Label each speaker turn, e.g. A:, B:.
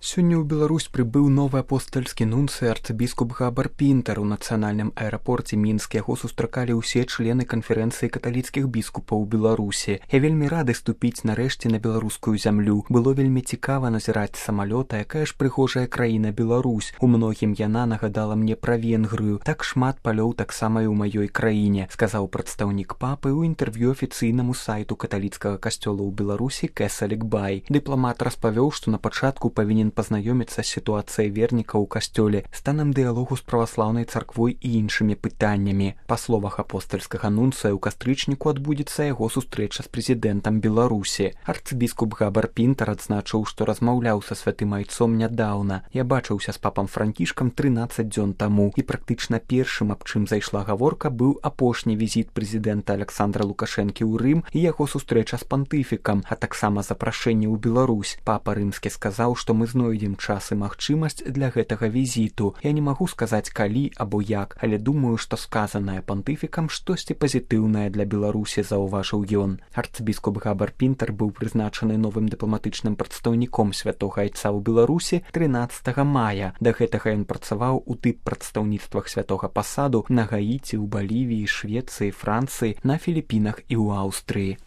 A: Сёння ў Беларусь прыбыў новы апостальскі нунцый арцыбіскуп Габар Пінтар. У нацыянальным аэрапорце Мінск яго сустракалі ўсе члены канферэнцыі каталіцкіх біскупаў у Беларусі. Я вельмі рады ступіць нарэшце на беларускую зямлю. Было вельмі цікава назіраць самалёта, якая ж прыгожая краіна Беларусь. У многім яна нагадала мне пра Венгрыю. Так шмат палёў таксама і ў маёй краіне, сказаў прадстаўнік папы ў інтэрв'ю афіцыйнаму сайту каталіцкага касцёла ў Беларусі Кесалік Бай. Дыпламат распавёў, што на пачатку павінен пазнаёміцца з сітуацыяй вернікаў у касцёле, станам дыялогу з праваслаўнай царквой і іншымі пытаннямі. Па словах апостальскага нунцыя, у кастрычніку адбудзецца яго сустрэча з прэзідэнтам Беларусі. Арцыбіскуп Габар Пінтар адзначыў, што размаўляў са святым айцом нядаўна. Я бачыўся з папам Франкішкам 13 дзён таму, і практычна першым, аб чым зайшла гаворка, быў апошні візіт прэзідэнта Аляксандра Лукашэнкі ў Рым і яго сустрэча з пантыфікам, а таксама запрашэнне ў Беларусь. Папа рымскі сказаў, што мы знойдзем час і магчымасць для гэтага візіту. Я не магу сказаць калі або як, але думаю, што сказанае пантыфікам штосьці пазітыўнае для Беларусі, заўважыў ён. Арцыбіскуп Габар Пінтар быў прызначаны новым дыпламатычным прадстаўніком святога айца ў Беларусі 13 мая. Да гэтага ён працаваў у дыппрадстаўніцтвах святога пасаду на Гаіці, у Балівіі, Швецыі, Францыі, на Філіпінах і ў Аўстрыі.